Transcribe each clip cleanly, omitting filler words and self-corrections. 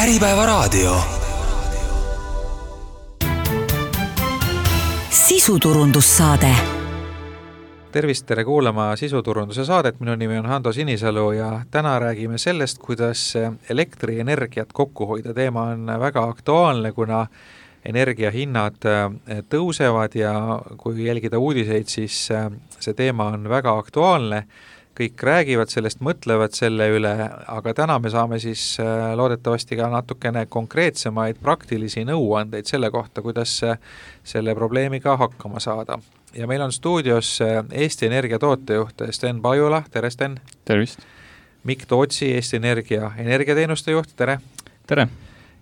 Äripäevaraadio. Sisuturundussaade. Tervist, tere kuulama sisuturunduse saadet. Minu nimi on Hando Sinisalu ja täna räägime sellest, kuidas elektrienergiat kokku hoida. Teema on väga aktuaalne, kuna energiahinnad tõusevad ja kui jälgida uudiseid, siis see teema on väga aktuaalne. Kõik räägivad sellest, mõtlevad selle üle, aga täna me saame siis loodetavasti ka natukene konkreetsemaid praktilisi nõuandeid selle kohta, kuidas selle probleemiga hakkama saada. Ja meil on stuudios Eesti Energia tootejuht Sten Pajula. Tere, Sten! Tervist! Mikk Tootsi, Eesti Energia energiateenuste juht. Tere! Tere!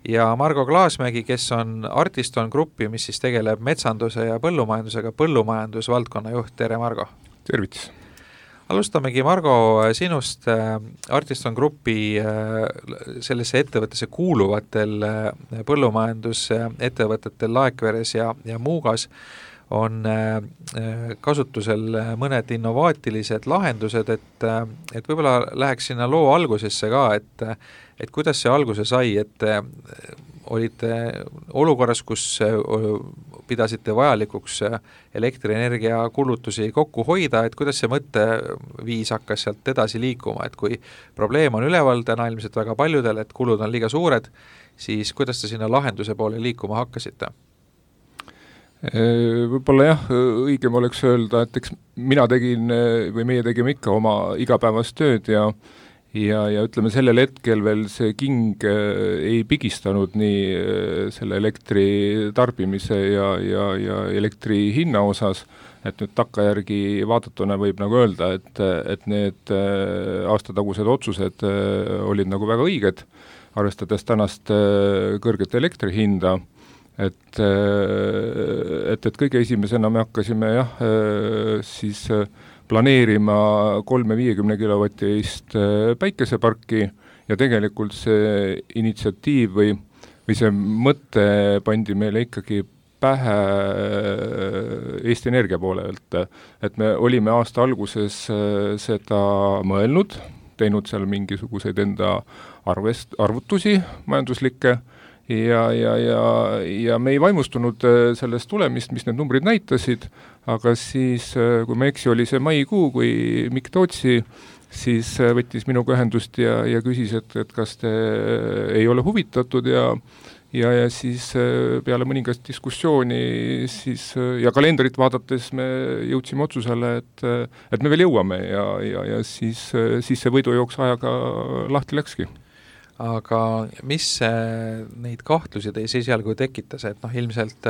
Ja Margo Klaasmägi, kes on Artiston Grupi, mis siis tegeleb metsanduse ja põllumajandusega, põllumajandusvaldkonna juht. Tere, Margo! Tervitus! Alustamegi, Margo, sinust. Artiston Grupi sellesse ettevõttesse kuuluvatel põllumajandusettevõtetel Laekveres ja Muugas on kasutusel mõned innovaatilised lahendused, et võib-olla läheks sinna loo algusesse ka, et kuidas see alguse sai, et olite olukorras, kus pidasite vajalikuks elektrienergia kulutusi kokku hoida, et kuidas see mõtteviis hakkas sealt edasi liikuma, et kui probleem on üleval täna ilmselt väga paljudel, et kulud on liiga suured, siis kuidas te sinna lahenduse poole liikuma hakkasite? Võib-olla jah, õigem oleks öelda, et eks mina tegin või meie tegime ikka oma igapäevast tööd ja ütleme, sellel hetkel veel see king ei pigistanud nii selle elektri tarbimise ja elektri hinna osas, et nüüd takkajärgi vaadatuna võib nagu öelda, et need aastatagused otsused olid nagu väga õiged, arvestades tänast kõrget elektri hinda. Et kõige esimesena me hakkasime siis planeerima 350 kilovatist päikeseparki ja tegelikult see initsiatiiv või see mõte pandi meile ikkagi pähe Eesti Energia poolelt, et me olime aasta alguses seda mõelnud, teinud seal mingisuguseid enda arvutusi majanduslikke ja me ei vaimustunud sellest tulemist, mis need numbrid näitasid, aga siis, kui ma eksi, oli see maikuu, kui Mikk Tootsi siis võttis minuga ühendust ja küsis, et kas te ei ole huvitatud ja siis peale mõningast diskussiooni siis, ja kalendrit vaadates me jõudsime otsusele, et me veel jõuame ja siis see võidujooks ajaga lahti läkski. Aga mis neid kahtlusi teis esialgu tekitas, et ilmselt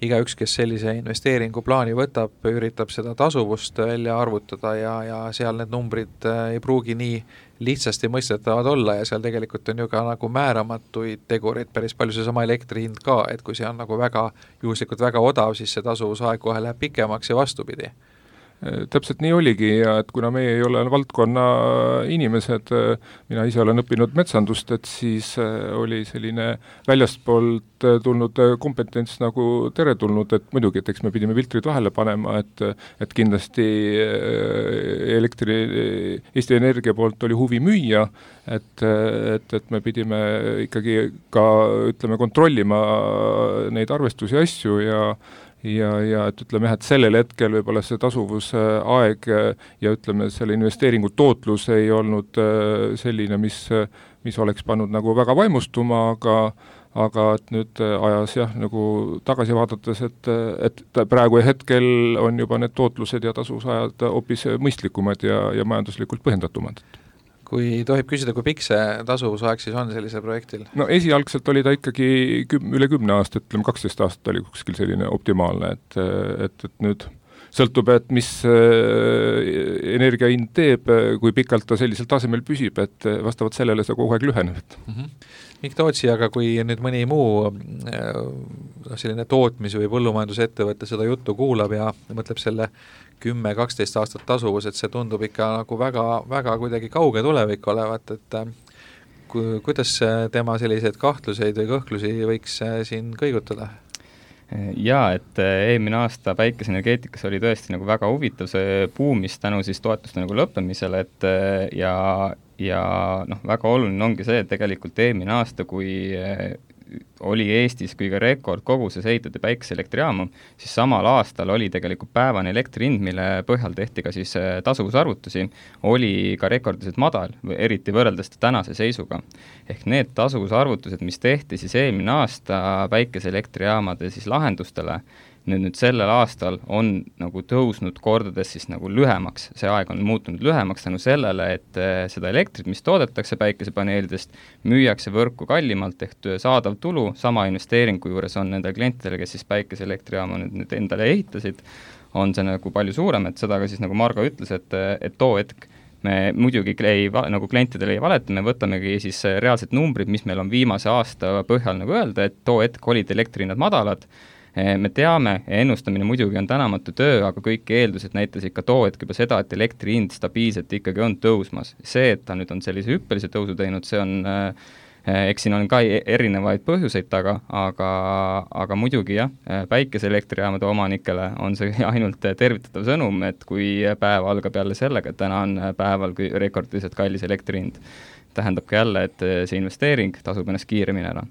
igaüks, kes sellise investeeringu plaani võtab, üritab seda tasuvust välja arvutada ja seal need numbrid ei pruugi nii lihtsasti mõistetavad olla ja seal tegelikult on ju ka nagu määramatuid tegureid päris palju, seesama elektri hind ka, et kui see on nagu väga juhuslikult väga odav, siis see tasuvusaeg kohe läheb pikemaks ja vastupidi. Täpselt nii oligi ja et kuna meie ei ole valdkonna inimesed, mina ise olen õppinud metsandust, et siis oli selline väljastpoolt tulnud kompetents nagu teretulnud, et muidugi, et eks me pidime filtrid vahele panema, et kindlasti Eesti Energia poolt oli huvi müüa, et me pidime ikkagi ka, ütleme, kontrollima neid arvestusi asju ja et ütleme, et sellel hetkel võib-olla see tasuvusaeg ja ütleme, selle investeeringu tootlus ei olnud selline, mis oleks pannud nagu väga vaimustuma, aga et nüüd ajas nagu tagasi vaadates, et praegu hetkel on juba need tootlused ja tasuvusajad hoopis mõistlikumad ja majanduslikult põhjendatumad. Kui tohib küsida, kui pikk see tasuvusaeg siis on sellisel projektil? No esialgselt oli ta ikkagi üle 10 aastat, ütleme 12 aastat oli kuskil selline optimaalne, et nüüd sõltub, et mis energiahind teeb, kui pikalt ta sellisel tasemel püsib, et vastavalt sellele see kogu aeg lüheneb. Mikk Tootsi, aga kui nüüd mõni muu selline tootmis- või põllumajandusettevõte seda juttu kuulab ja mõtleb selle 10-12 aastat tasuvus, et see tundub ikka nagu väga, väga kuidagi kauge tulevik olevat, et kuidas tema selliseid kahtluseid või kõhklusi võiks siin kõigutada? Jaa, et eelmine aasta päikeseenergeetikas oli tõesti nagu väga huvitav see buumis tänu siis toetuste nagu lõppemisele, et ja ja väga oluline ongi see, et tegelikult eelmine aasta, kui oli Eestis kõige rekordkoguses ehitatud päikeseelektrijaamu, siis samal aastal oli tegelikult päevane elektri hind, mille põhjal tehti ka siis tasuvusarvutusi, oli ka rekordiliselt madal, eriti võrreldes tänase seisuga. Ehk need tasuvusarvutused, mis tehti siis eelmine aasta päikeseelektrijaamade siis lahendustele, nüüd sellel aastal on nagu tõusnud kordades siis nagu lühemaks, see aeg on muutunud lühemaks tänu sellele, et seda elektrit, mis toodetakse päikesepaneelidest, müüakse võrku kallimalt ehk saadav tulu, sama investeeringu juures on nendel klientidel, kes siis päikeseelektrijaama nüüd endale ehitasid, on see nagu palju suurem, et seda ka siis nagu Margo ütles, et too hetk me muidugi nagu klientidele ei valeta, me võtamegi siis reaalsed numbrid, mis meil on viimase aasta põhjal nagu öelda, et too hetk olid elektrihinnad madalad. Me teame, ennustamine muidugi on tänamatu töö, aga kõik eeldused näitas ikka too hetk juba seda, et elektri hind stabiilselt ikkagi on tõusmas. See, et ta nüüd on sellise hüppelise tõusu teinud, see on, eks siin on ka erinevaid põhjuseid taga, aga muidugi jah, päikeseelektrijaamade omanikele on see ainult tervitatav sõnum, et kui päev algab jälle sellega, et täna on päeval rekordiliselt kallis elektri hind, tähendabki jälle, et see investeering tasub ennast kiiremini ära.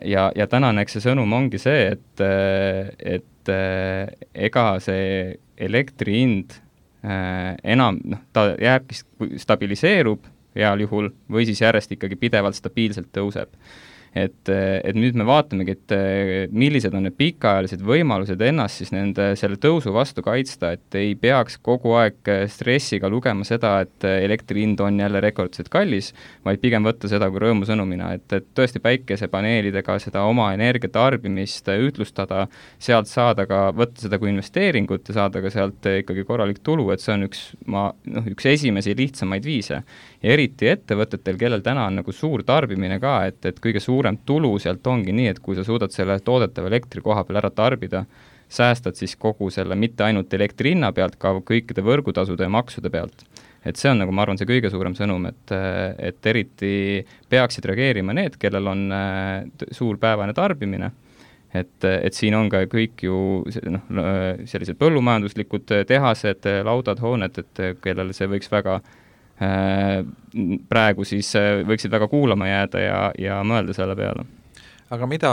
Ja tänane eks see sõnum ongi see, et ega see elektri hind enam, ta jääbki, stabiliseerub heal juhul või siis järjest ikkagi pidevalt stabiilselt tõuseb. Et nüüd me vaatamegi, et millised on need pikaajalised võimalused ennast siis selle tõusu vastu kaitsta, et ei peaks kogu aeg stressiga lugema seda, et elektri hind on jälle rekordselt kallis, vaid pigem võtta seda kui rõõmusõnumina, et tõesti päikesepaneelidega seda oma energiatarbimist ütlustada, sealt saada ka, võtta seda kui investeeringut ja saada ka sealt ikkagi korralik tulu, et see on üks esimesi lihtsamaid viise. Ja eriti ettevõtetel, kellel täna on nagu suur tarbimine ka, et kõige suurem tulu sealt ongi nii, et kui sa suudad selle toodetava elektri koha peal ära tarbida, säästad siis kogu selle mitte ainult elektri hinna pealt, ka kõikide võrgutasude ja maksude pealt. Et see on nagu, ma arvan, see kõige suurem sõnum, et eriti peaksid reageerima need, kellel on suur päevane tarbimine, et siin on ka kõik ju sellised põllumajanduslikud tehased, laudad, hooned, et kellel see võiks väga praegu siis võiksid väga kuulama jääda ja mõelda selle peale. Aga mida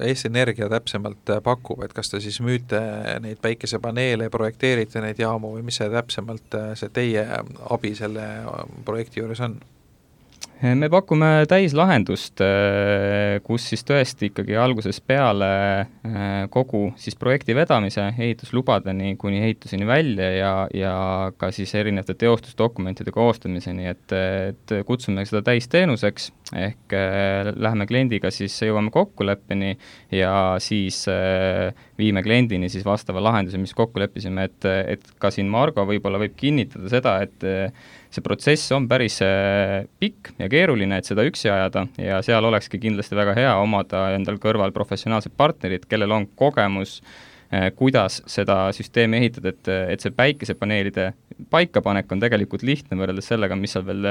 Eesti Energia täpsemalt pakub, et kas te siis müüte neid päikesepaneele, projekteerite neid jaamu või mis see täpsemalt see teie abi selle projekti juures on? Me pakume täislahendust, kus siis tõesti ikkagi alguses peale kogu siis projekti vedamise ehituslubadeni kuni ehituseni välja ja ka siis erinevate teostusdokumentide koostamiseni, et kutsume seda täisteenuseks, ehk läheme kliendiga siis jõuame kokkuleppeni ja siis viime kliendini siis vastava lahenduse, mis kokku leppisime, et ka siin Margo võib-olla võib kinnitada seda, et see protsess on päris pikk ja keeruline, et seda üksi ajada ja seal olekski kindlasti väga hea omada endal kõrval professionaalsed partnerid, kellel on kogemus, kuidas seda süsteemi ehitada, et see päikesepaneelide paikapanek on tegelikult lihtne võrreldes sellega, mis seal veel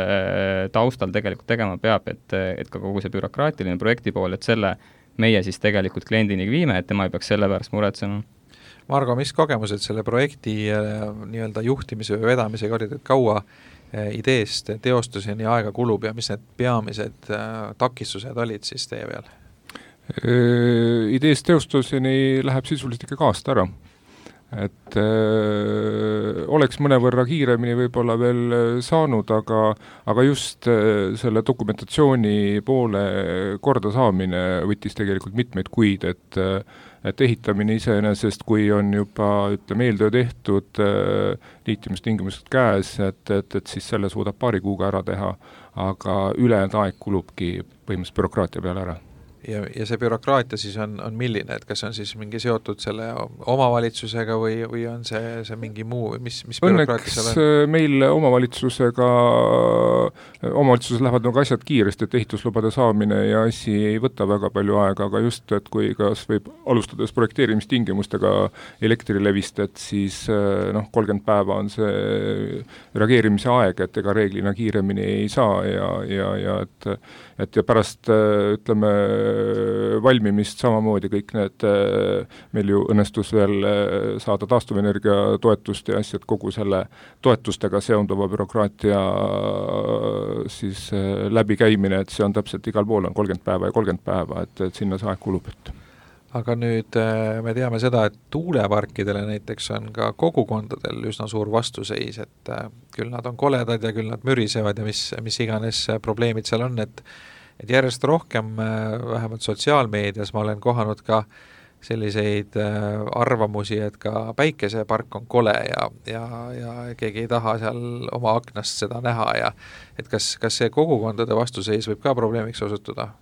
taustal tegelikult tegema peab, et ka kogu see bürokraatiline projekti pool, et selle meie siis tegelikult kliendini viime, et tema ei peaks selle pärast muretsema. Margo, mis kogemused selle projekti nii-öelda juhtimise või vedamisega olid, et kaua ideest teostuseni aega kulub ja mis need peamised takistused olid siis teie peal? Ideest teostuseni läheb sisuliselt ikka aasta ära. Et oleks mõnevõrra kiiremini võib-olla veel saanud, aga just selle dokumentatsiooni poole korda saamine võttis tegelikult mitmeid kuid, et ehitamine iseenesest, kui on juba, ütleme, eeltöö tehtud, liitimistingimused käes, et siis selle suudab paari kuuga ära teha, aga ülejäänud aeg kulubki põhimõtteliselt bürokraatia peale ära. Ja see bürokraatia siis on milline, et kas on siis mingi seotud selle omavalitsusega või on see mingi muu, mis bürokraatia seal on? Õnneks meil omavalitsuses lähevad nagu asjad kiiresti, et ehituslubade saamine ja asi ei võta väga palju aega, aga just, et kui kas võib alustades projekteerimistingimustega Elektrilevist, et siis 30 päeva on see reageerimise aeg, et ega reeglina kiiremini ei saa ja pärast, ütleme, valmimist samamoodi kõik need, meil ju õnnestus veel saada taastuvenergia toetust ja asjad, kogu selle toetustega seonduva bürokraatia siis läbikäimine, et see on täpselt igal pool on 30 päeva ja 30 päeva, et sinna see aeg kulub, et aga nüüd me teame seda, et tuuleparkidele näiteks on ka kogukondadel üsna suur vastuseis, et küll nad on koledad ja küll nad mürisevad ja mis iganes probleemid seal on, et järjest rohkem, vähemalt sotsiaalmeedias ma olen kohanud ka selliseid arvamusi, et ka päikesepark on kole ja keegi ei taha seal oma aknast seda näha ja et kas see kogukondade vastuseis võib ka probleemiks osutuda?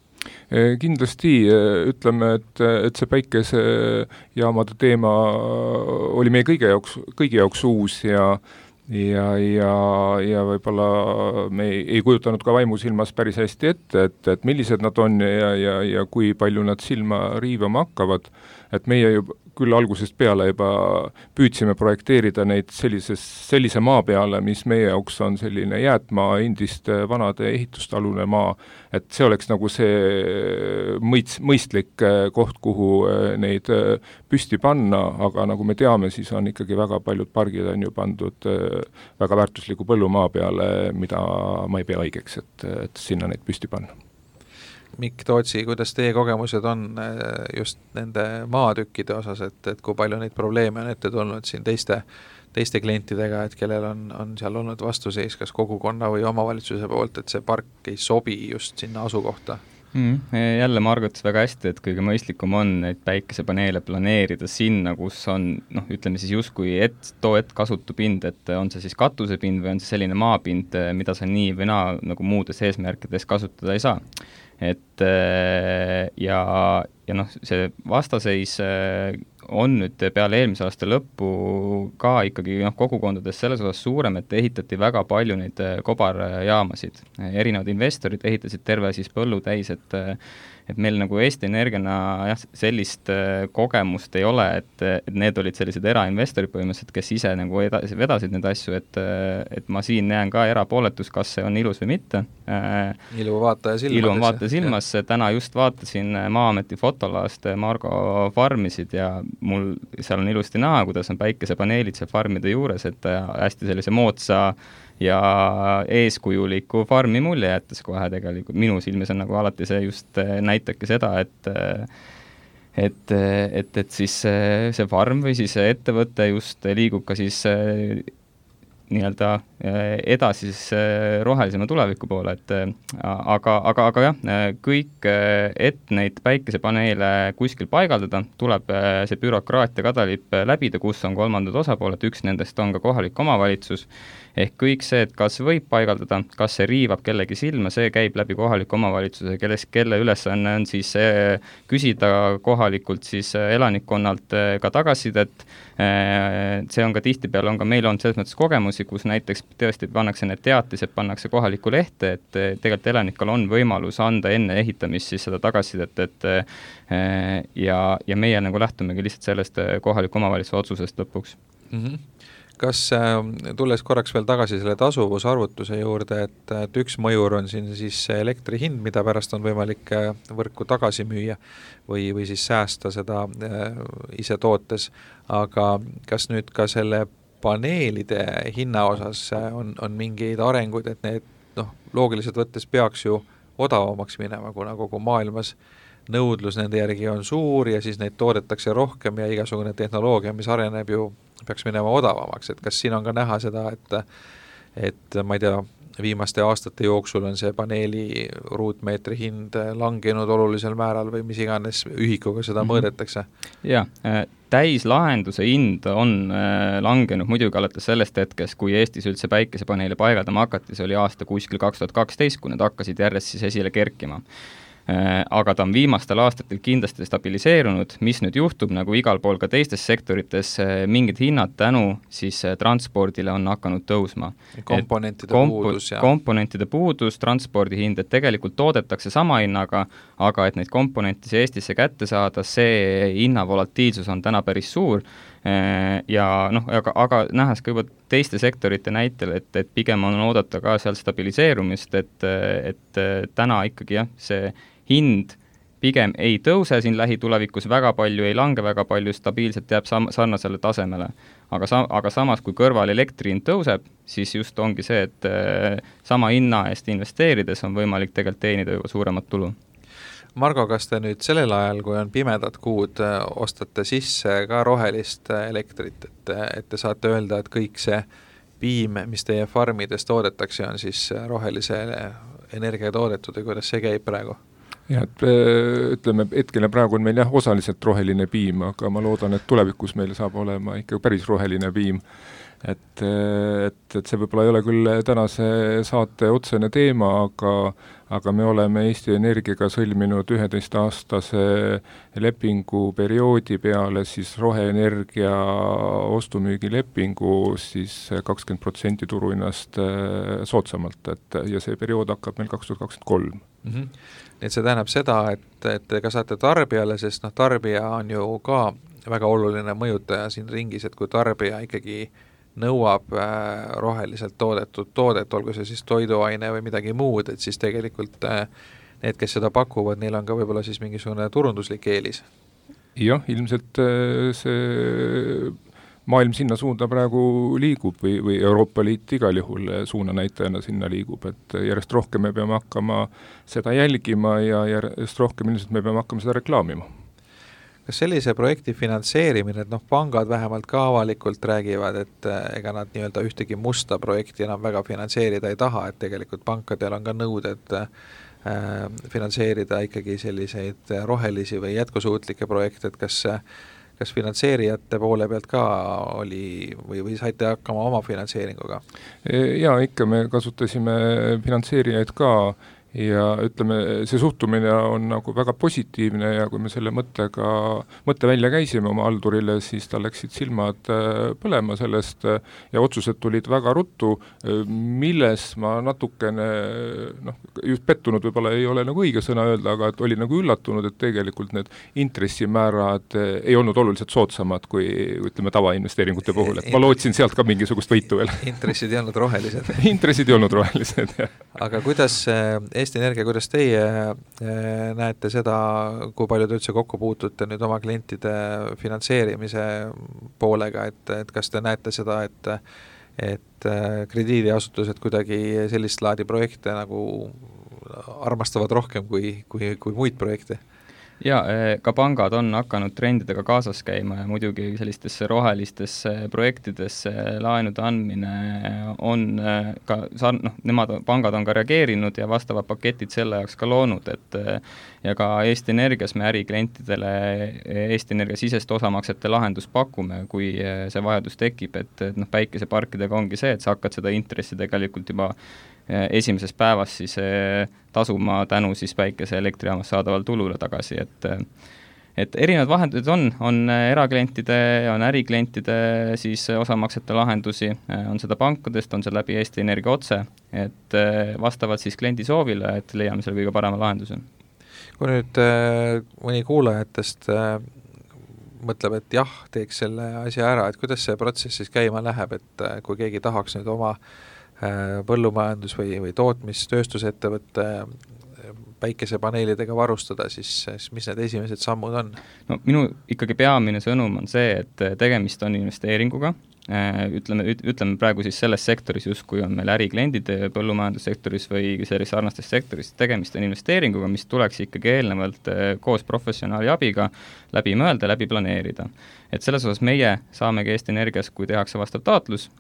Kindlasti ütleme, et see päikesejaamade teema oli meie kõigi jaoks uus ja võib-olla me ei kujutanud ka vaimusilmas päris hästi ette, et millised nad on ja kui palju nad silma riivama hakkavad, et meie juba küll algusest peale juba püüdsime projekteerida neid sellise maa peale, mis meie jaoks on selline jäätmaa, endist vanade ehitustalune maa, et see oleks nagu see mõistlik koht, kuhu neid püsti panna, aga nagu me teame, siis on ikkagi väga paljud pargid on ju pandud väga väärtusliku põllumaa peale, mida ma ei pea õigeks, et sinna neid püsti panna. Mikk Tootsi, kuidas teie kogemused on just nende maatükkide osas, et kui palju neid probleeme on ette tulnud siin teiste klientidega, et kellel on seal olnud vastuseis kas kogukonna või omavalitsuse poolt, et see park ei sobi just sinna asukohta? Jälle Margot väga hästi, et kõige mõistlikum on neid päikesepaneele planeerida sinna, kus on, ütleme siis justkui kasutupind, et on see siis katusepind või on see selline maapind, mida sa nii või naa nagu muudes eesmärkides kasutada ei saa. Et ja see vastaseis on nüüd peale eelmise aasta lõppu ka ikkagi kogukondades selles osas suurem, et ehitati väga palju neid kobarjaamasid. Erinevad investorid ehitasid terve siis põllu täis, et meil nagu Eesti Energiana sellist kogemust ei ole, et need olid sellised erainvestorid põhimõtteliselt, kes ise nagu vedasid need asju, et ma siin näen ka erapooletus, kas see on ilus või mitte. Ilu vaataja silmas, täna just vaatasin Maa-ameti fotolaast Margo farmisid ja mul seal on ilusti näha, kuidas on päikesepaneelid seal farmide juures, et hästi sellise moodsa ja eeskujuliku farmi mulje jättes kohe tegelikult. Minu silmis on nagu alati see just näitabki seda, et siis see farm või siis ettevõte just liigub ka siis nii-öelda edasi siis rohelisema tuleviku poole, aga jah, kõik, et neid päikesepaneele kuskil paigaldada, tuleb see bürokraatia kadalipp läbida, kus on kolmandad osapooled, üks nendest on ka kohalik omavalitsus, ehk kõik see, et kas võib paigaldada, kas see riivab kellegi silma, see käib läbi kohaliku omavalitsuse, kelle ülesanne on siis küsida kohalikult siis elanikkonnalt ka tagasisidet. See on ka tihtipeale, meil on selles mõttes kogemusi, kus näiteks tõesti pannakse need teatised, pannakse kohalikku lehte, et tegelikult elanikul on võimalus anda enne ehitamist siis seda tagasisidet, ja meie nagu lähtumegi lihtsalt sellest kohaliku omavalitsuse otsusest lõpuks. Kas tulles korraks veel tagasi selle tasuvusarvutuse juurde, et üks mõjur on siin siis elektri hind, mida pärast on võimalik võrku tagasi müüa või siis säästa seda ise tootes, aga kas nüüd ka selle paneelide hinna osas on mingeid arenguid, et need loogiliselt võttes peaks ju odavamaks minema, kuna kogu maailmas nõudlus nende järgi on suur ja siis neid toodetakse rohkem ja igasugune tehnoloogia, mis areneb ju peaks minema odavamaks, et kas siin on ka näha seda, et ma ei tea, viimaste aastate jooksul on see paneeli ruutmeetri hind langenud olulisel määral või mis iganes ühikuga seda mõõdetakse? Jaa, täislahenduse hind on langenud muidugi alates sellest hetkest, kui Eestis üldse päikesepaneeli paigaldama hakati, see oli aasta kuskil 2012, kui need hakkasid järjest siis esile kerkima. Aga ta on viimastel aastatel kindlasti stabiliseerunud, mis nüüd juhtub, nagu igal pool ka teistes sektorites, mingid hinnad tänu siis transpordile on hakanud tõusma. Komponentide puudus, transpordi hind, et tegelikult toodetakse sama hinnaga, aga et neid komponente Eestisse kätte saada, see hinna volatiilsus on täna päris suur. Ja aga nähes ka juba teiste sektorite näitel, et pigem on oodata ka seal stabiliseerumist, et täna ikkagi see hind pigem ei tõuse siin lähitulevikus väga palju, ei lange väga palju, stabiilselt jääb sarnasele tasemele. Aga samas, kui kõrval elektri hind tõuseb, siis just ongi see, et sama hinna eest investeerides on võimalik tegelikult teenida juba suuremat tulu. Margo, kas te nüüd sellel ajal, kui on pimedad kuud, ostate sisse ka rohelist elektrit, et te saate öelda, et kõik see piim, mis teie farmides toodetakse, on siis rohelise energia toodetud ja kuidas see käib praegu? Ja, et ütleme, hetkele praegu on meil osaliselt roheline piim, aga ma loodan, et tulevikus meil saab olema ikka päris roheline piim. Et see võib-olla ei ole küll tänase saate otsene teema, aga me oleme Eesti Energiaga sõlminud 11-aastase lepingu perioodi peale siis roheenergia ostumüügilepingu siis 20% turuhinnast soodsamalt, ja see periood hakkab meil 2023. Et see tähendab seda, et te ka saate tarbijale, sest tarbija on ju ka väga oluline mõjutaja siin ringis, et kui tarbija ikkagi nõuab roheliselt toodetud toodet, olgu see siis toiduaine või midagi muud, et siis tegelikult need, kes seda pakuvad, neil on ka võib-olla siis mingisugune turunduslik eelis. Jah, ilmselt see maailm sinna suunda praegu liigub või Euroopa Liit igal juhul suunanäitajana sinna liigub, et järjest rohkem me peame hakkama seda jälgima ja järjest rohkem ilmselt me peame hakkama seda reklaamima. Kas sellise projekti finantseerimine, et pangad vähemalt ka avalikult räägivad, et ega nad nii-öelda ühtegi musta projekti enam väga finantseerida ei taha, et tegelikult pankadel on ka nõuded finantseerida ikkagi selliseid rohelisi või jätkusuutlikke projekte, et kas finantseerijate poole pealt ka oli või saite hakkama oma finantseeringuga? Ja ikka me kasutasime finantseerijaid ka ja ütleme, see suhtumine on nagu väga positiivne ja kui me selle mõtte välja käisime oma haldurile, siis tal läksid silmad põlema sellest ja otsused tulid väga ruttu, milles ma natukene, just pettunud võib-olla ei ole nagu õige sõna öelda, aga et oli nagu üllatunud, et tegelikult need intressimäärad ei olnud oluliselt soodsamad kui ütleme tavainvesteeringute puhul, et ma lootsin sealt ka mingisugust võitu veel. Intressid ei olnud rohelised. Intressid ei olnud rohelised, jah. Aga kuidas Eesti Energia, kuidas teie näete seda, kui palju te üldse kokku puutute nüüd oma klientide finantseerimise poolega, et kas te näete seda, et krediidiasutused kuidagi sellist laadi projekte nagu armastavad rohkem kui muid projekte? Ja ka pangad on hakanud trendidega kaasas käima ja muidugi sellistesse rohelistesse projektidesse laenude andmine on ka, pangad on ka reageerinud ja vastavad paketid selle jaoks ka loonud, et ja ka Eesti Energias me äriklientidele Eesti Energia sisest osamaksete lahendus pakume, kui see vajadus tekib, et päikeseparkidega ongi see, et sa hakkad seda intressi tegelikult juba esimeses päevas siis tasuma tänu siis päikese elektrijaamas saadaval tulule tagasi, et erinevad vahendused on eraklientide, on äriklientide siis osamaksete lahendusi, on seda pankadest, on see läbi Eesti Energia otse, et vastavad siis kliendi soovile, et leiame selle kõige parema lahenduse. Kui nüüd mõni kuulajatest mõtleb, et jah, teeks selle asja ära, et kuidas see protsess siis käima läheb, et kui keegi tahaks nüüd oma põllumajandus- või tootmistööstusettevõtte päikesepaneelidega varustada, siis mis need esimesed sammud on? Minu ikkagi peamine sõnum on see, et tegemist on investeeringuga, ütleme praegu siis selles sektoris, just kui on meil ärikliendid põllumajandussektoris või selles sarnastes sektoris, tegemist on investeeringuga, mis tuleks ikkagi eelnevalt koos professionaali abiga läbi mõelda, läbi planeerida. Et selles osas meie saamegi Eesti Energias, kui tehakse vastav taotlus,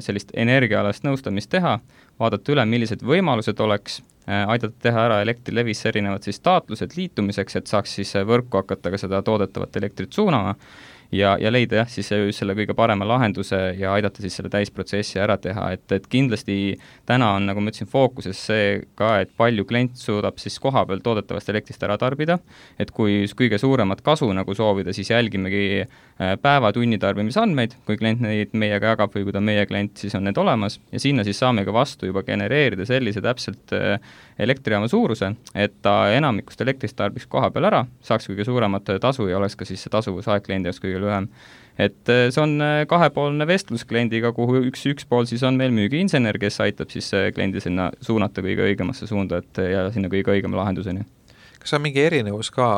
sellist energiaalast nõustamist teha, vaadata üle, millised võimalused oleks, aidata teha ära Elektrilevis erinevad siis taotlused liitumiseks, et saaks siis võrku hakata ka seda toodetavat elektrit suunama ja leida siis selle kõige parema lahenduse ja aidata siis selle täisprotsessi ära teha, et kindlasti täna on, nagu ma ütlesin, fookuses see ka, et palju klient suudab siis koha peal toodetavast elektrist ära tarbida, et kui kõige suuremat kasu nagu soovida, siis jälgimegi päeva-tunni tarbimisandmeid, kui klient neid meiega jagab või kui ta meie klient, siis on need olemas ja sinna siis saame ka vastu juba genereerida sellise täpselt elektrijaama suuruse, et ta enamikust elektrist tarbiks koha peal ära, saaks kõige suuremat tasu ja oleks ka siis see tasuvusaeg kliendi jaoks kõige lühem. Et see on kahepoolne vestlus kliendiga, kuhu üks pool siis on meil müügiinsener, kes aitab siis kliendi sinna suunata kõige õigemasse suunda ja sinna kõige õigema lahenduseni. kas on mingi erinevus ka,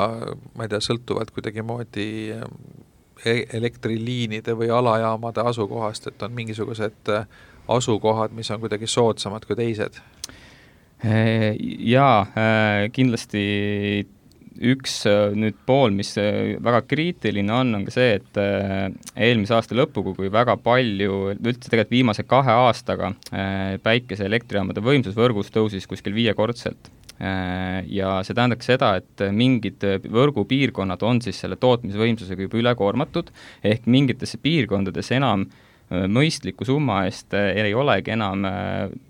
ma ei tea, sõltuvalt kuidagi moodi elektriliinide või alajaamade asukohast, et on mingisugused asukohad, mis on kuidagi soodsamad kui teised? Jaa, kindlasti üks nüüd pool, mis väga kriitiline on ka see, et eelmise aasta lõpuga, kui väga palju, üldse tegelikult viimase 2 aastaga päikese elektrijaamade võimsus võrgus tõusis kuskil 5-kordselt. Ja see tähendab seda, et mingid võrgupiirkonnad on siis selle tootmisvõimsusega juba ülekoormatud, ehk mingitesse piirkondades enam mõistliku summa eest ei olegi enam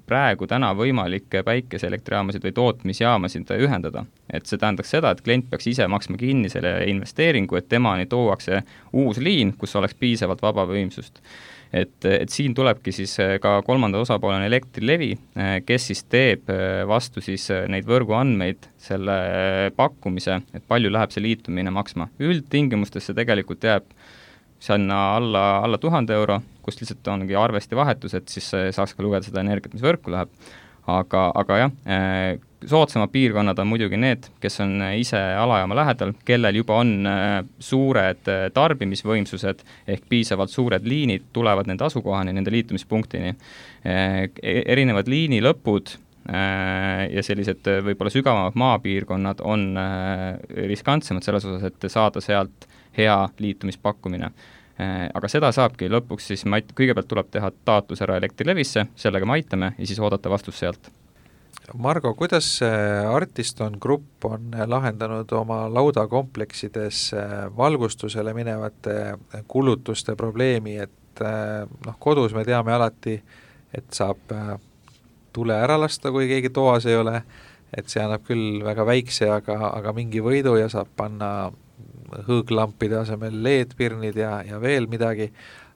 praegu täna võimalik päikeseelektrijaamasid või tootmisjaamasid ühendada. Et see tähendaks seda, et klient peaks ise maksma kinni selle investeeringu, et temani tuuakse uus liin, kus oleks piisavalt vaba võimsust. Et siin tulebki siis ka kolmanda osapoolena Elektrilevi, kes siis teeb vastu siis neid võrguandmeid selle pakkumise, et palju läheb see liitumine maksma. Üldtingimustesse tegelikult jääb sinna alla 1000 euro, kus lihtsalt ongi arvesti vahetus, et siis saaks ka lugeda seda energiat, mis võrku läheb. Aga jah, soodsamad piirkonnad on muidugi need, kes on ise alajaama lähedal, kellel juba on suured tarbimisvõimsused ehk piisavalt suured liinid tulevad nende asukohani, nende liitumispunktini. Erinevad liini lõpud ja sellised võib-olla sügavamad maapiirkonnad on riskantsemad selles osas, et saada sealt hea liitumispakkumine. Aga seda saabki lõpuks siis, kõigepealt tuleb teha taotlus ära Elektrilevisse, sellega me aitame ja siis oodata vastus sealt. Margo, kuidas Artiston Grupp on lahendanud oma laudakompleksides valgustusele minevate kulutuste probleemi, et kodus me teame alati, et saab tule ära lasta, kui keegi toas ei ole, et see annab küll väga väikse, aga mingi võidu ja saab panna hõõglampide asemel LED-pirnid ja veel midagi,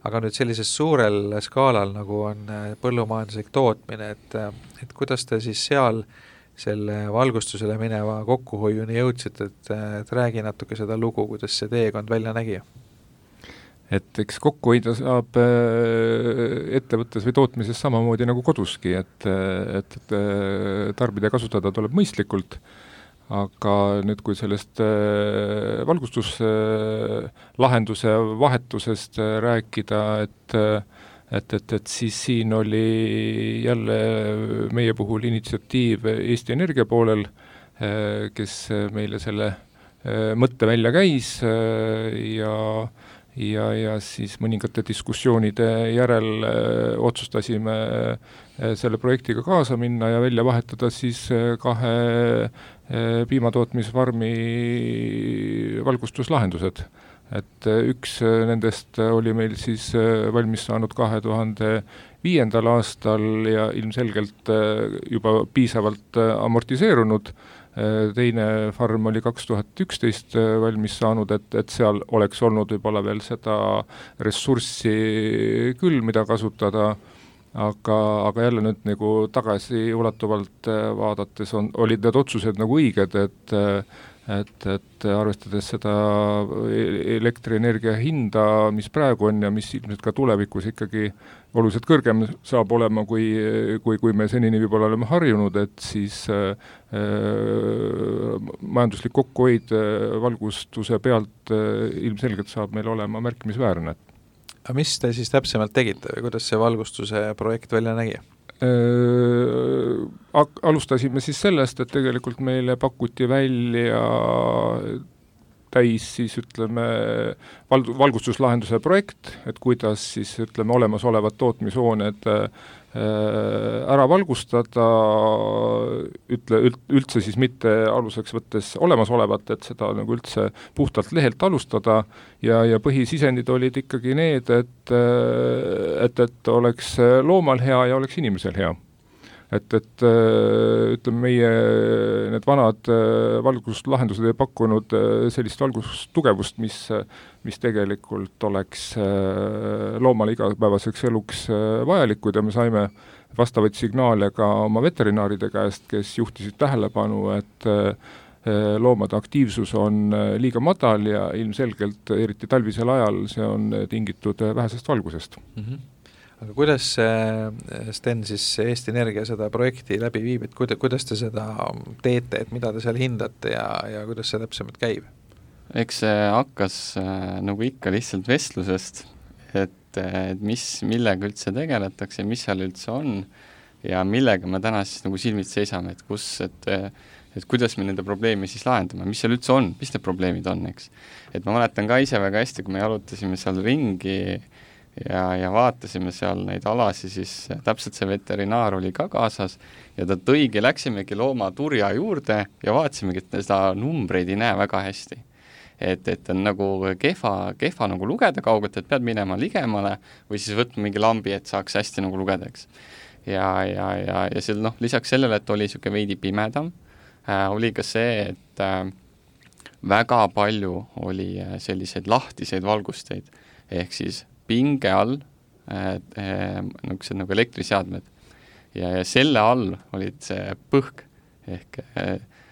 aga nüüd sellises suurel skaalal, nagu on põllumajanduslik tootmine, et kuidas te siis seal selle valgustusele mineva kokkuhoiuni jõudsite, et räägi natuke seda lugu, kuidas see teekond välja nägi? Et eks kokkuhoida saab ettevõttes või tootmises samamoodi nagu koduski, et tarbida ja kasutada tuleb mõistlikult, aga nüüd, kui sellest valgustuslahenduse vahetusest rääkida, et siis siin oli jälle meie puhul initsiatiiv Eesti Energia poolel, kes meile selle mõtte välja käis ja siis mõningate diskussioonide järel otsustasime selle projektiga kaasa minna ja välja vahetada siis 2 piimatootmisfarmi valgustuslahendused. Et üks nendest oli meil siis valmis saanud 2005. aastal ja ilmselgelt juba piisavalt amortiseerunud. Teine farm oli 2011 valmis saanud, et seal oleks olnud võib-olla veel seda ressurssi küll, mida kasutada, aga jälle nüüd nagu tagasi ulatuvalt vaadates olid need otsused nagu õiged, et arvestades seda elektrienergia hinda, mis praegu on ja mis ilmselt ka tulevikus ikkagi oluliselt kõrgem saab olema, kui me senini võib-olla oleme harjunud, et siis majanduslik kokkuhoid valgustuse pealt ilmselgelt saab meil olema märkimisväärne. Aga mis te siis täpsemalt tegite või kuidas see valgustuse projekt välja nägi? Alustasime siis sellest, et tegelikult meile pakuti välja täis siis ütleme valgustuslahenduse projekt, et kuidas siis ütleme olemasolevad tootmishooned ära valgustada, üldse siis mitte aluseks võttes olemasolevat, et seda nagu üldse puhtalt lehelt alustada ja põhisisendid olid ikkagi need, et oleks loomal hea ja oleks inimesel hea. Et ütleme, meie need vanad valgustuslahendused ei pakkunud sellist valgustugevust, mis tegelikult oleks loomale igapäevaseks eluks vajalikud ja me saime vastavaid signaale ka oma veterinaaride käest, kes juhtisid tähelepanu, et loomade aktiivsus on liiga madal ja ilmselgelt, eriti talvisel ajal, see on tingitud vähesest valgusest. Mm-hmm. Aga kuidas Sten siis Eesti Energia seda projekti läbi viib, et kuidas te seda teete, et mida te seal hindate ja kuidas see täpsemalt käib? Eks see hakkas nagu ikka lihtsalt vestlusest, et millega üldse tegeletakse, mis seal üldse on ja millega me täna siis nagu silmid seisame, et kuidas me nende probleemi siis lahendame, mis seal üldse on, mis need probleemid on, eks. Et ma mäletan ka ise väga hästi, kui me jalutasime seal ringi ja vaatasime seal neid alasi, siis täpselt see veterinaar oli ka kaasas ja ta läksimegi loomaturja juurde ja vaatasimegi, et seda numbreid ei näe väga hästi. Et on nagu kehva nagu lugeda kaugelt, et pead minema ligemale või siis võtma mingi lambi, et saaks hästi nagu lugeda, eks. Ja seal lisaks sellele, et oli niisugune veidi pimedam, oli ka see, et väga palju oli selliseid lahtiseid valgusteid, ehk siis pinge all nagu elektriseadmed ja selle all olid see põhk ehk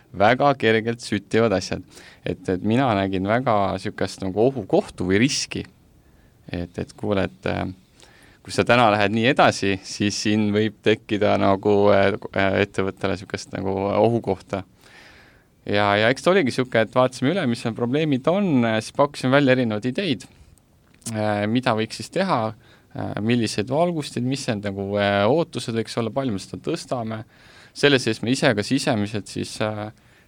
väga kergelt süttivad asjad. Et mina nägin väga niisugust nagu ohukohtu või riski, et kuule, et kui sa täna lähed nii edasi, siis siin võib tekkida nagu ettevõttele niisugust nagu ohukohta. Ja eks ta oligi niisugune, et vaatasime üle, mis probleemid on, siis pakkusime välja erinevaid ideid, mida võiks siis teha, millised valgustid, mis need nagu ootused võiks olla, palju me seda tõstame. Selles sees me ise ka sisemiselt siis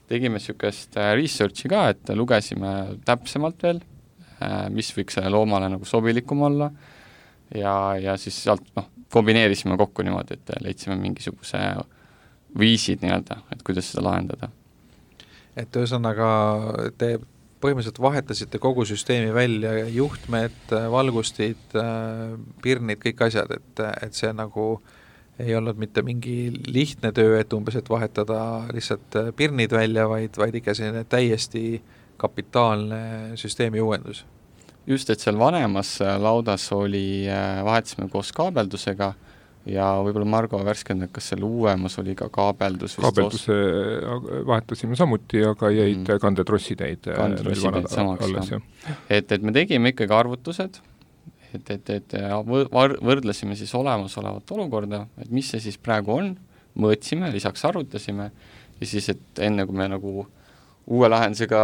tegime niisugust researchi ka, et lugesime täpsemalt veel, mis võiks selle loomale nagu sobilikum olla ja siis sealt kombineerisime kokku niimoodi, et leidsime mingisuguse viisid nii-öelda, et kuidas seda lahendada. Et ühesõnaga te põhimõtteliselt vahetasite kogu süsteemi välja, juhtmed, valgustid, pirnid, kõik asjad, et see nagu ei olnud mitte mingi lihtne töö, et umbes, et vahetada lihtsalt pirnid välja, vaid ikka selline täiesti kapitaalne süsteemi uuendus. Just, et seal vanemas laudas vahetasime koos kaabeldusega ja võib-olla Margo värskendab, kas seal uuemas oli ka kaabeldus? Kaabelduse vahetasime samuti, aga jäid kandetrossid samaks. Et me tegime ikkagi arvutused, et võrdlesime siis olemasolevat olukorda, et mis see siis praegu on, mõõtsime, lisaks arvutasime ja siis, et enne kui me nagu uue lahendusega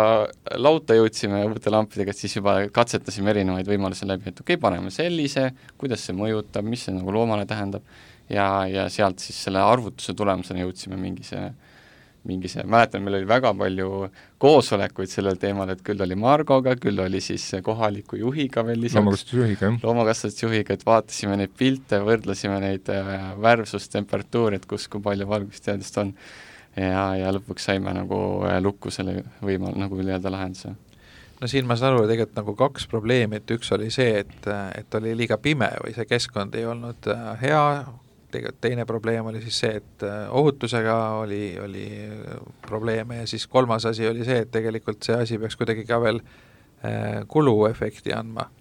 lauta jõudsime uute lampidega, et siis juba katsetasime erinevaid võimalusi läbi, et paneme sellise, kuidas see mõjutab, mis see nagu loomale tähendab ja sealt siis selle arvutuse tulemusena jõudsime mingise, mäletan, meil oli väga palju koosolekuid sellel teemal, et küll oli Margoga, küll oli siis kohaliku juhiga veel lisaks. Loomakasvatusjuhiga, et vaatasime neid pilte, võrdlesime neid värvsustemperatuuri, et kui palju valgusteadust on ja lõpuks saime nagu lukku selle nagu nii-öelda lahenduse. No siin ma saan aru tegelikult nagu kaks probleemi, et üks oli see, et oli liiga pime või see keskkond ei olnud hea, tegelikult teine probleem oli siis see, et ohutusega oli probleeme ja siis kolmas asi oli see, et tegelikult see asi peaks kuidagi ka veel kuluefekti andma.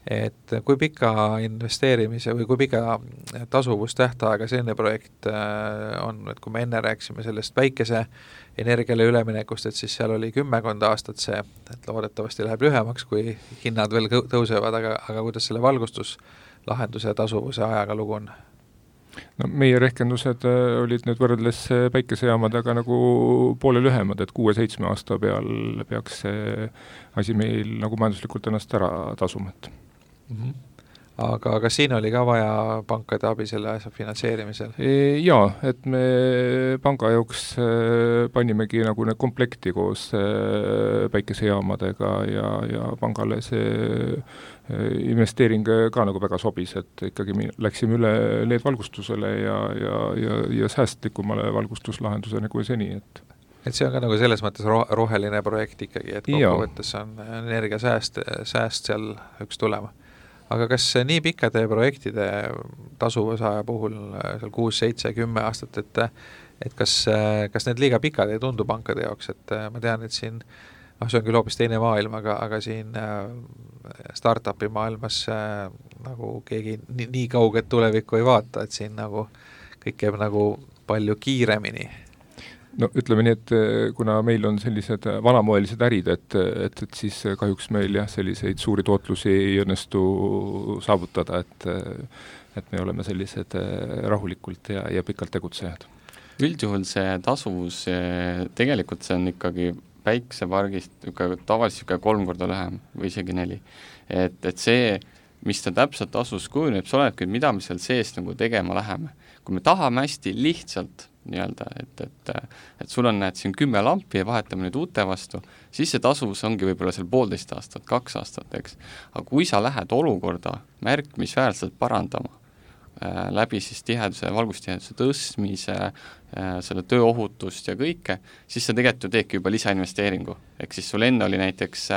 Et kui pika investeerimise või kui pika tasuvustähtaega selline projekt on, et kui me enne rääkisime sellest väikese energiale üleminekust, et siis seal oli 10 aastat see, et loodetavasti läheb lühemaks, kui hinnad veel tõusevad, aga kuidas selle valgustuslahenduse tasuvuse ajaga lugu on? No meie rehkendused olid nüüd võrreldes päikesejaamadega nagu poole lühemad, et 6-7 aasta peal peaks see asi meil nagu majanduslikult ennast ära tasumat. Aga kas siin oli ka vaja pankade abi selle asja finantseerimisel? Jaa, et me panga jaoks panimegi nagu need komplekti koos päikesejaamadega ja pangale see investeering ka nagu väga sobis, et ikkagi läksime üle LED-valgustusele ja säästlikumale valgustuslahendusele kui seni, et see on ka nagu selles mõttes roheline projekt ikkagi, et kokkuvõttes on energiasääst seal üks tulema. Aga kas nii pikkade projektide tasuvusaja puhul, seal 6, 7, 10 aastat, et kas need liiga pikad ei tundu pankade jaoks, et ma tean, et siin, see on küll hoopis teine maailm, aga siin startupi maailmas nagu keegi nii kauget tulevikku ei vaata, et siin nagu kõik käib nagu palju kiiremini. No ütleme nii, et kuna meil on sellised vanamoelised ärid, et siis kahjuks meil selliseid suuri tootlusi ei õnnestu saavutada, et me oleme sellised rahulikult ja pikalt tegutsejad. Üldjuhul see tasuvus, tegelikult see on ikkagi päiksepargist tavaliselt 3 korda lühem või isegi 4. Et see, mis ta täpselt tasuvus kujuneb, see olenebki, mida me seal sees nagu tegema läheme. Kui me tahame hästi lihtsalt nii-öelda, et sul on siin 10 lampi ja vahetame nüüd uute vastu, siis see tasuvus ongi võib-olla seal 1,5 aastat, 2 aastat, eks. Aga kui sa lähed olukorda märkimisväärselt parandama, läbi siis valgustiheduse tõstmise, selle tööohutust ja kõike, siis sa tegelikult teedki juba lisainvesteeringu. Ehk siis sul enne oli näiteks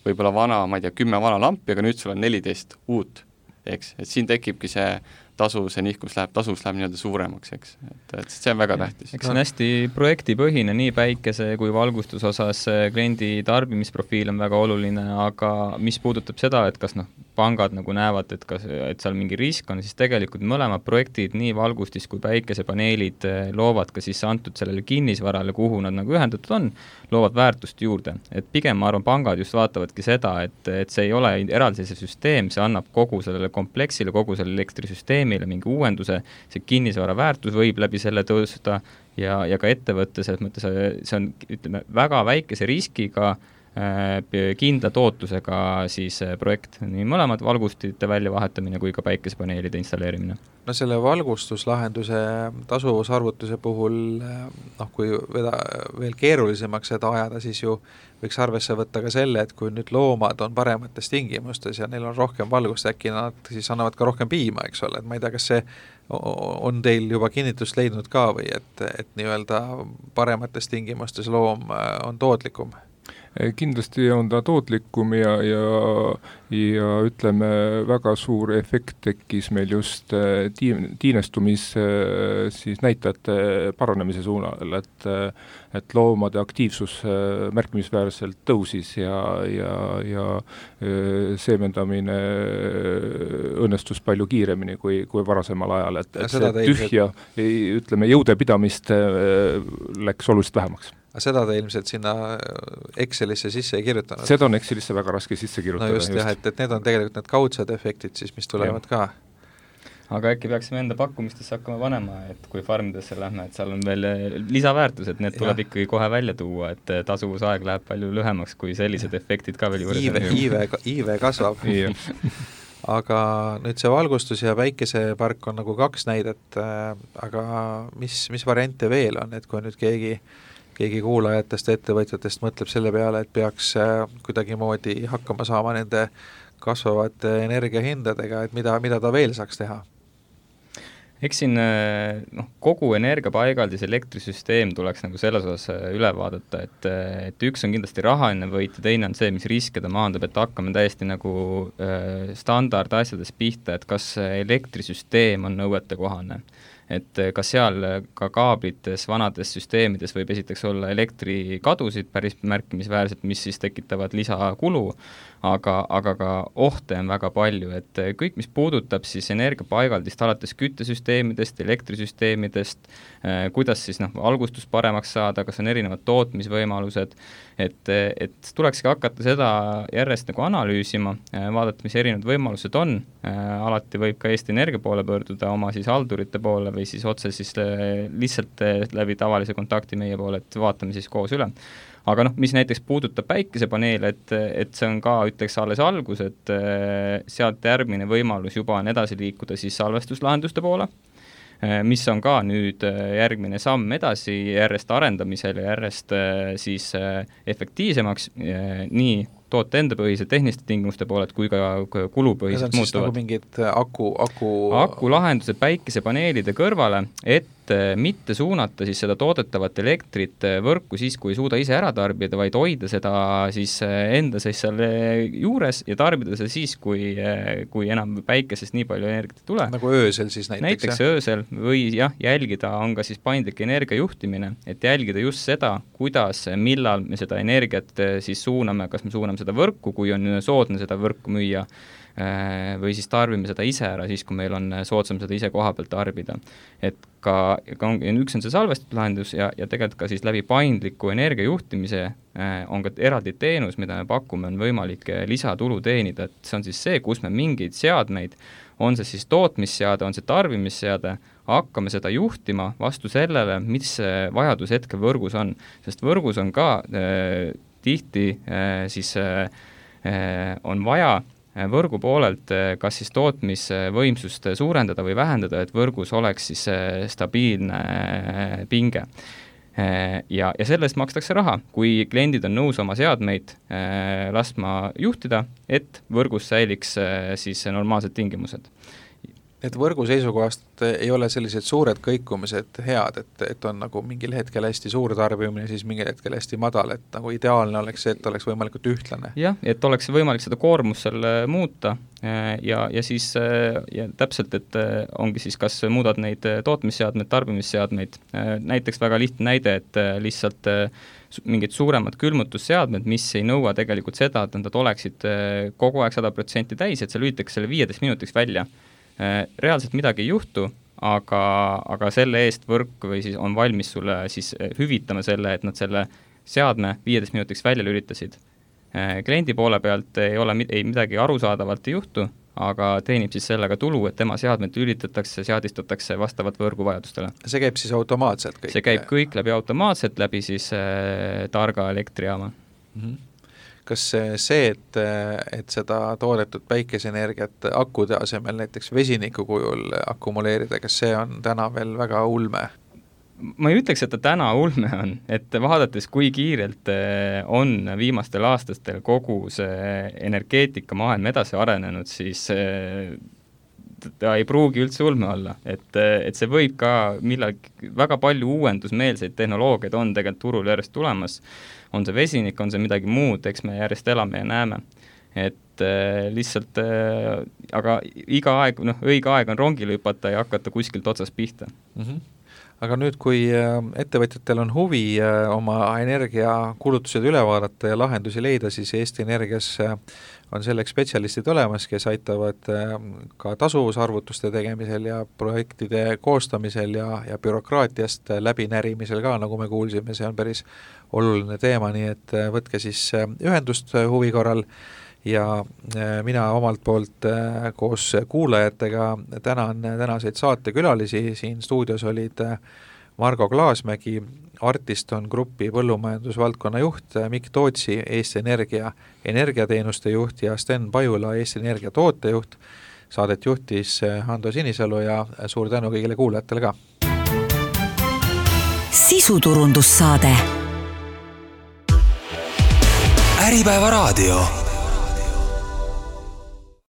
võib-olla 10 vana lampi, aga nüüd sul on 14 uut. Eks, et siin tekibki see tasuvuse nihkus läheb nii-öelda suuremaks, eks, et see on väga tähtis. Eks on hästi projektipõhine, nii päikese kui valgustus osas kliendi tarbimisprofiil on väga oluline, aga mis puudutab seda, et kas pangad nagu näevad, et seal mingi risk on, siis tegelikult mõlemad projektid, nii valgustis kui päikesepaneelid loovad ka siis antud sellele kinnisvarale, kuhu nad nagu ühendatud on, loovad väärtust juurde. Et pigem ma arvan, pangad just vaatavadki seda, et see ei ole eraldise süsteem, see annab kogu sellele kompleksile, kogu sellele elektrisüsteemile mingi uuenduse, see kinnisvara väärtus võib läbi selle tõusta ja ka ettevõttes, et mõttes see on, ütleme, väga väikese riskiga kindla tootlusega siis projekt, nii mõlemad valgustite väljavahetamine kui ka päikesepaneelide installeerimine. No selle valgustuslahenduse tasuvusarvutuse puhul, kui veel keerulisemaks seda ajada, siis ju võiks arvesse võtta ka selle, et kui nüüd loomad on paremates tingimustes ja neil on rohkem valgust, äkki nad siis annavad ka rohkem piima, eks ole, et ma ei tea, kas see on teil juba kinnitust leidnud ka või et nii-öelda paremates tingimustes loom on tootlikum? Kindlasti on ta tootlikum ja ütleme, väga suur efekt tekkis meil just tiinestumis siis näitajate paranemise suunal, et loomade aktiivsus märkimisväärselt tõusis ja seemendamine õnnestus palju kiiremini kui varasemal ajal, et see tühja, ütleme, jõudepidamist läks oluliselt vähemaks. Aga seda te ilmselt sinna Excelisse sisse ei kirjutanud? Seda on Excelisse väga raske sisse kirjutada. No just. Jah, et need on tegelikult need kaudsed efektid siis, mis tulevad ka. Aga äkki peaksime enda pakkumistesse hakkama panema, et kui farmidesse lähme, et seal on veel lisaväärtus, et need tuleb ikkagi kohe välja tuua, et tasuvusaeg läheb palju lühemaks, kui sellised efektid ka veel juures. Iive kasvab. Aga nüüd see valgustus ja päikesepark on nagu 2 näidet, aga mis variante veel on, et kui nüüd keegi kuulajatest ja ettevõtjatest mõtleb selle peale, et peaks kuidagimoodi hakkama saama nende kasvavate energiahindadega, et mida ta veel saaks teha? Eks siin kogu energiapaigaldis elektrisüsteem tuleks nagu selles osas üle vaadata, et üks on kindlasti rahaline võit ja teine on see, mis riske ta maandab, et hakkame täiesti nagu standard asjades pihta, et kas elektrisüsteem on nõuetekohane. Et ka seal ka kaablites, vanades süsteemides võib esiteks olla elektrikadusid päris märkimisväärselt, mis siis tekitavad lisakulu, aga ka ohte on väga palju, et kõik, mis puudutab siis energiapaigaldist alates küttesüsteemidest, elektrisüsteemidest, kuidas siis valgustus paremaks saada, kas on erinevad tootmisvõimalused, et tulekski hakata seda järjest nagu analüüsima, vaadata, mis erinevad võimalused on, alati võib ka Eesti Energia poole pöörduda oma siis haldurite poole või siis otse siis lihtsalt läbi tavalise kontakti meie poole, et vaatame siis koos üle. Aga mis näiteks puudutab päikesepaneele, et see on ka, ütleks alles algus, et sealt järgmine võimalus juba on edasi liikuda siis salvestuslahenduste poole, mis on ka nüüd järgmine samm edasi järjest arendamisel ja järjest siis efektiivsemaks nii toote enda põhise tehniliste tingimuste pooled kui ka kulupõhiselt muutuvad. Nagu mingid akulahendused päikesepaneelide kõrvale, et mitte suunata siis seda toodetavat elektrit võrku siis, kui ei suuda ise ära tarbida, vaid hoida seda siis enda siis seal juures ja tarbida seda siis, kui enam päikesest nii palju energiat ei tule. Nagu öösel siis näiteks? Näiteks öösel või jälgida on ka siis paindlik energiajuhtimine, et jälgida just seda, kuidas, millal me seda energiat siis suuname, kas me suuname seda võrku, kui on soodne seda võrku müüa, või siis tarbime seda ise ära, siis kui meil on soodsam seda ise koha pealt tarbida. Et üks on see salvestatud lahendus ja tegelikult ka siis läbi paindliku energiajuhtimise on ka eraldi teenus, mida me pakume, on võimalik lisatulu teenida, et see on siis see, kus me mingeid seadmeid, on see siis tootmisseade, on see tarbimisseade, hakkame seda juhtima vastu sellele, mis vajadus hetkel võrgus on, sest võrgus on ka tihti siis on vaja võrgu poolelt kas siis tootmisvõimsust suurendada või vähendada, et võrgus oleks siis stabiilne pinge. Ja selle eest makstakse raha, kui kliendid on nõus oma seadmeid laskma juhtida, et võrgus säiliks siis normaalsed tingimused. Et võrgu seisukohast ei ole sellised suured kõikumised head, et on nagu mingil hetkel hästi suur tarbimine, siis mingil hetkel hästi madal, et nagu ideaalne oleks see, et oleks võimalikult ühtlane. Jah, et oleks võimalik seda koormust seal muuta ja siis ja täpselt, et ongi siis, kas muudad neid tootmisseadmeid, tarbimisseadmeid, näiteks väga lihtne näide, et lihtsalt mingid suuremad külmutusseadmed, mis ei nõua tegelikult seda, et nad oleksid kogu aeg 100% täis, et see lülitakse selle 15 minutiks välja. Reaalselt midagi ei juhtu, aga selle eest võrk või siis on valmis sulle siis hüvitama selle, et nad selle seadme 15 minutiks välja lülitasid. Kliendi poole pealt ei midagi arusaadavalt ei juhtu, aga teenib siis sellega tulu, et tema seadmed lülitatakse, seadistatakse vastavalt võrgu vajadustele. See käib siis automaatselt kõik? See käib kõik läbi automaatselt, läbi siis targa elektrijaama. Mm-hmm. Kas see, et seda toodetud päikeseenergiat akude asemel näiteks vesiniku kujul akumuleerida, kas see on täna veel väga ulme? Ma ei ütleks, et ta täna ulme on, et vaadates, kui kiirelt on viimastel aastastel kogu see energeetika maailm edasi arenenud, siis ta ei pruugi üldse ulme olla, et see võib ka väga palju uuendusmeelseid tehnoloogiaid on tegelikult turul järjest tulemas, on see vesinik, on see midagi muud, eks me järjest elame ja näeme, et lihtsalt, aga õige aeg on rongile hüpata ja hakata kuskilt otsast pihta. Mm-hmm. Aga nüüd, kui ettevõtjatel on huvi oma energiakulutused üle vaadata ja lahendusi leida, siis Eesti Energias on selleks spetsialistid olemas, kes aitavad ka tasuvusarvutuste tegemisel ja projektide koostamisel ja bürokraatiast läbinärimisel ka, nagu me kuulsime, see on päris oluline teema, nii et võtke siis ühendust huvi korral ja mina omalt poolt koos kuulajatega tänan tänaseid saatekülalisi, siin stuudios olid Margo Klaasmägi, Artiston Grupi põllumajandusvaldkonna juht, Mikk Tootsi, Eesti Energia energiateenuste juht ja Sten Pajula, Eesti Energia tootejuht. Saadet juhtis Hando Sinisalu ja suur tänu kõigile kuulajatele ka. Sisuturundussaade. Äripäeva raadio.